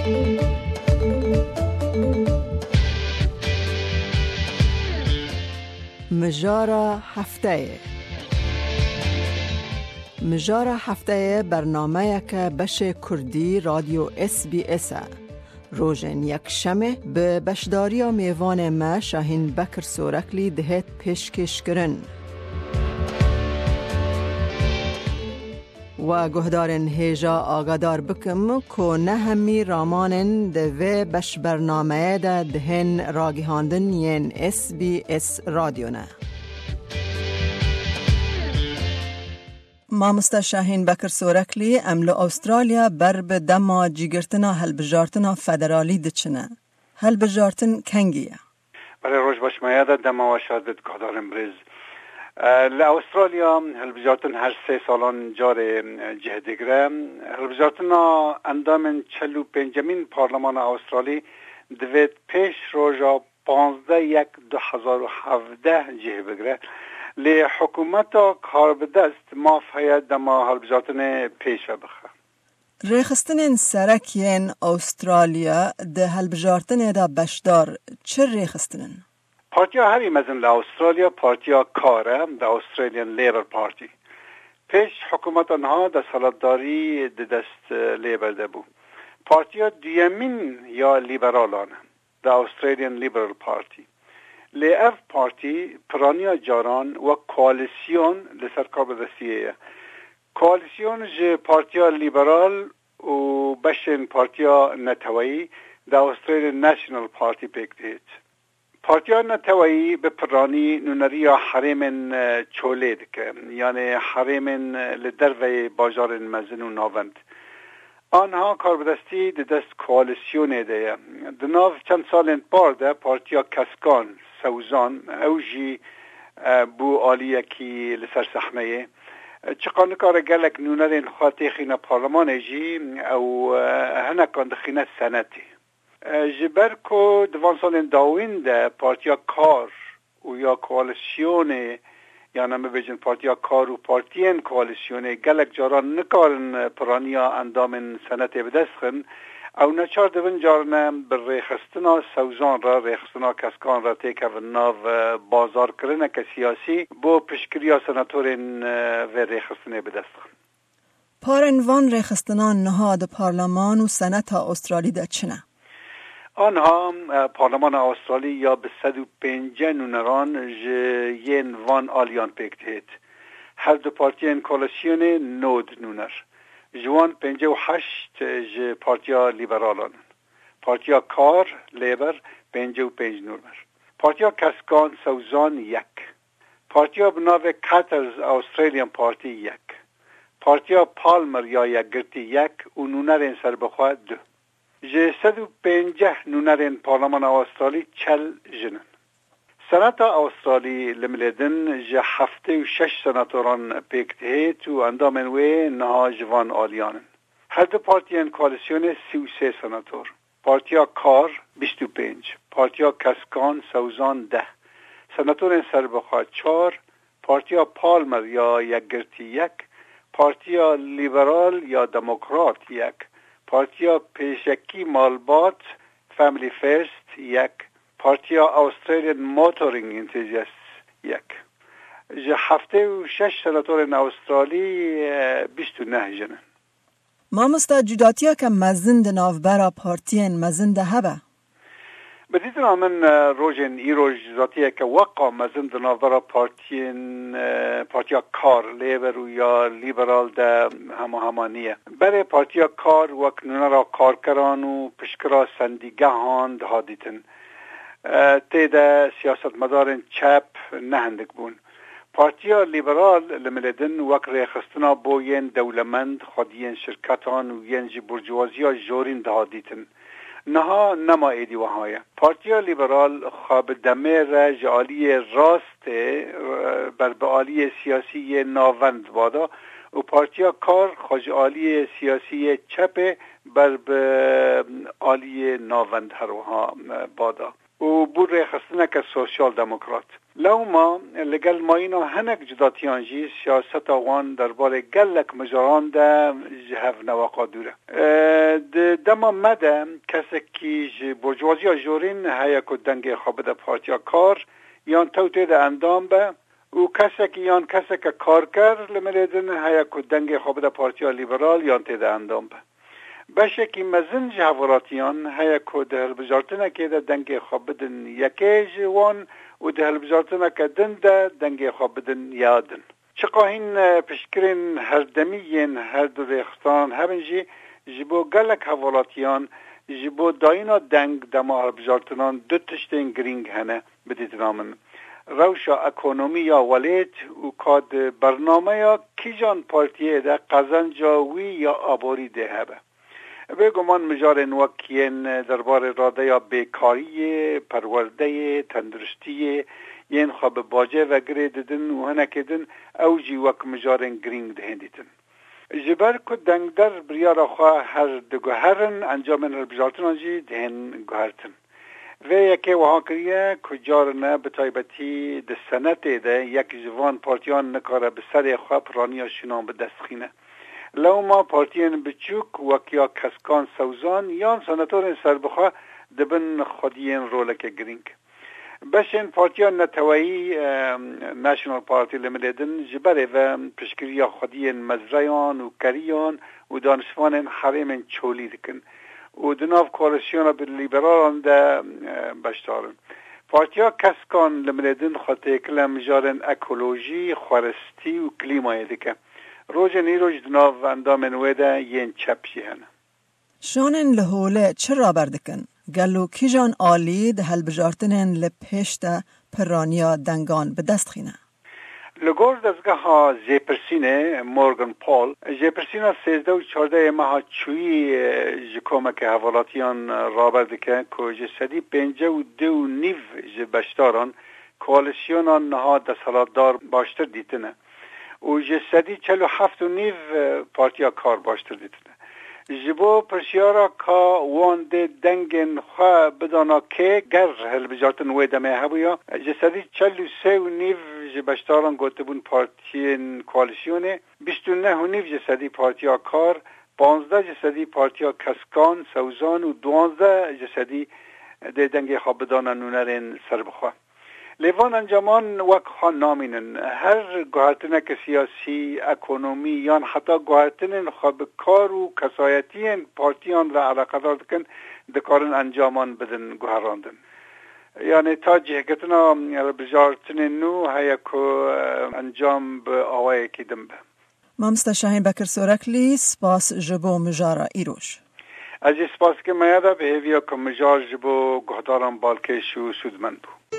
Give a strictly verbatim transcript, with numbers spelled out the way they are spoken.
Mijara hefteyê. Mijara hefteyê bernameyeke beşê Kurdî Radyo S B S e. Rojên Yekşemê bi beşdariya mêvanê me Şahîn Bekir Soreklî dihêt pêşkêşkirin. We guhdarên hêja agadar bikim ku ne hemî ramanên di vê beşbernameyê de dihên ragihandin yên S B S Radyo ne. Mamoste Şahîn Bekir Soreklî, em li Awustralya ber bi dema cîgirtina hilbijartina federalî diçine. Hilbijartin kengî ye? Belê, roj baş, me ya de dema we şad bit, guhdarên birêz. E, li Awustralya hilbijartin her sê salan carê, e, cih digire. Hilbijartina endamên çil û pêncemîn Parlemana Awustralî divêt pêş roja panzdeh yek du hezar û hevdeh cih bigire. Lê hikûmeta karbidest maf heye dema hilbijartinê pêş ve bixe. Rêxistinên serek yên Awustralya di hilbijartinê de beşdar çi rêxistin in? Partiya herî mezin li Awustralya Partiya Kar e, The Australian Labor Party. Pêş hikûmeta niha desthilatdarî di dest, e, Labor de bû. Partiya duyemîn ya Liberalan e, The Australian Liberal Party. Lê ev partî piraniya caran wek koalîsyon li ser karbidestiyê ye. Koalîsyon ji Partiya Liberal û beşên Partiya Neteweyî, The Australian National Party, pêk dihêt. Partiya Neteweyî bi piranî nûneriya herêmên, e, çolê dike, yanê herêmên, e, li derveyê bajarên mezin û navend. Anha karbidestî di dest koalîsyonê de ye. Di nav çend salên par de Partiya Keskan, Sewzan, ew jî, e, bû aliyekî li ser sehneyê. E, çiqa nikare gelek nûnerên xwe têxîne parlemanê jî, ew, e, hinekan dixîne senetê. E, ji ber ku di van salên dawîn de Partiya Kar û ya koalîsyonê, yan em bibêjin Partiya Kar û partiyên koalîsyonê gelek caran nikarin piraniya endamên senetê bi dest xin, ew neçar dibin carine bi rêxistina Sewzan re, rêxistina Keskan re têkevin nav, e, bazarkirineke siyasî bo piştgiriya senatorên, e, vê rêxistinê bi dest xin. Parên van rêxistinan niha di Parleman û Seneta Awustralî de çi ne? Anha, e, Parlemana Awustralî ya bi sed û pêncî nûneran ji yên van aliyan pêk dihêt. Her du partiyên koalîsyonê nod nûner. Ji wan pêncî û heşt ji Partiya Liberalan in. Partiya Kar, Labour, pêncî û pênc nûner. Partiya Keskan, Sewzan, yek. Partiya bi navê Katter's Australian Party, yek. Partiya Palmer ya Yekgirtî, yek û nûnerên serbixwe, du. Ji sed û pêncî nûnerên Parlemana Awustralî çel jin in. Senata Awustralî li milê din ji heftê û şeş senatoran pêk dihêt û endamên wê niha ji van aliyan in. Her du partiyên koalîsyonê sî û sê senator. Partiya Kar bîst û pênc, Partiya Keskan, Sewzan, deh, senatorên serbixwe çar, Partiya Palmer ya Yekgirtî yek, Partiya Liberal ya Demokrat yek, Partiya Pêşekî Malbat, Family First, yek, Partiya Australian Motoring Enthusiasts, yek. Ji heftê û şeş senatorên Awustralî, e, bîst û neh jin in. Mamosta, cudatiyeke mezin di navbera partiyên mezin de hebe? Bi dîtina min, e, rojên îro cudatiyeke weqa mezin di navbera partiyên, e, Partiya Kar, Labour û ya Liberal de hema hema niye. Berê Partiya Kar wek nûnera karkeran û piştgira sendîgehan dihat dîtin. E, tê de siyasetmedarên çep ne hindik bûn. Partiya Liberal li milê din wek rêxistina bo yên dewlemend, xwediyên şirketan û yên ji burjuwaziya jorîn dihat dîtin. Niha nema êdî wiha ye. Partiya Liberal xwe bi demê re ji aliyê rastê, e, ber bi aliyê siyasî yê navend bada û Partiya Kar xwe ji aliyê siyasî yê çepê ber bi aliyê navend her wiha, e, bada. û bû rêxistineke sosyal-demokrat. Lewma li gel mayîna hinek cudatiyan jî siyaseta wan derbarê gelek mijaran de ji hev ne weqa dûr e. E, di Dema me de kesekî ji burjuwaziya jorîn heye ku dengê xwe bide Partiya Kar, yan tew tê de endam be, û kesekî yan keseke karker li milê din heye ku dengê xwe bide Partiya Lîberal yan tê de endam be. Beşekî mezin ji hevalatiyan heye ku di hilbijartinekê de dengê xwe bidin yekê ji wan û di hilbijartineke din de dengê xwe bidin ya din. Çiqa hîn, e, piştgirên herdemî yên her du rêxistanan hebin jî, ji bo gelek hevalatiyan, ji bo dayîna deng dema hilbijartinan du tiştên girîng hene, bidîtina min. Rewşa ekonomî ya welêt û ka di bernameya kîjan partiyê de qezenca wî ya aborî dê hebe. Bêguman mijarên wek yên derbarê radeya bêkariyê, perwerdeyê, tenduristiyê, yên xwe bi bacê ve girê didin û hinekê din ew jî wek mijarên girîng dihên dîtin. Ji ber ku dengder biryara xwe her diguherin, encamên hilbijartinan jî dihên guhertin. Vê yekê wiha kiriye ku carine bi taybetî di senetê de yek ji van partiyan nikare bi serê xwe piraniya şûnan bi dest xîne. Lewma partiyên biçûk wek ya Keskan Sewzan yan senatorên serbixwe dibin xwediyên roleke girîng. Beşên Partiya Neteweyî, e, National Party li milê din ji berê ve piştgiriya xwediyên mezreyan û keriyan û danişvanên herêmên çolî dikin û di nav koalîsyona bi lîberalan de, e, beşdar in. Partiya Keskan li milê din xwe têkile mijarên ekolojî, xweristî û klîmayê dike. Rojên îroj di nav endamên wê de yên çep jî hene. Şanên li holê çi raber dikin? Gelo kîjan alî di hilbijartinên li pêş de piraniya dengan bi dest xîne? Li gor dezgeha jêpirsînê Morgan Paul, jêpirsîna sêzdeh û çardehê meha çûyî, e, ji komeke hevalatiyan raber dike ku ji sedî pêncî û du û nîv ji beşdaran koalîsyona niha desthilatdar baştir dîtine û ji sedî çel û heft û nîv, e, Partiya Kar baştir dîtine. Ji bo pirsyara ka wan dê dengên xwe bidana kê, ger hilbijartin wê demê hebûya, ji sedî çel û sê û nîv ji beşdaran gotibûn partiyên koalîsyonê, bîst û neh û nîv ji sedî Partiya Kar, panzdeh ji sedî Partiya Keskan, Sewzan û duwazdeh ji sedî dê dengê xwe bidana nûnerên serbixwe. Lê van encaman wek xwe namînin. Her guhertineke siyasî, ekonomî yan heta guhertinên xwe bi kar û kesayetiyên partiyan ve eleqedar dikin, dikarin encaman bidin guherandin. Yanî ta cihgirtina hilbijartinên nû heye ku, e, encam bi awayekî din be. Mamoste Şahîn Bekir Soreklî, spas ji bo mijara îroj. Ez jî spas dikim Meyada, bi hêviya ku mijar ji bo guhdaran balkêş û sûdmend bû.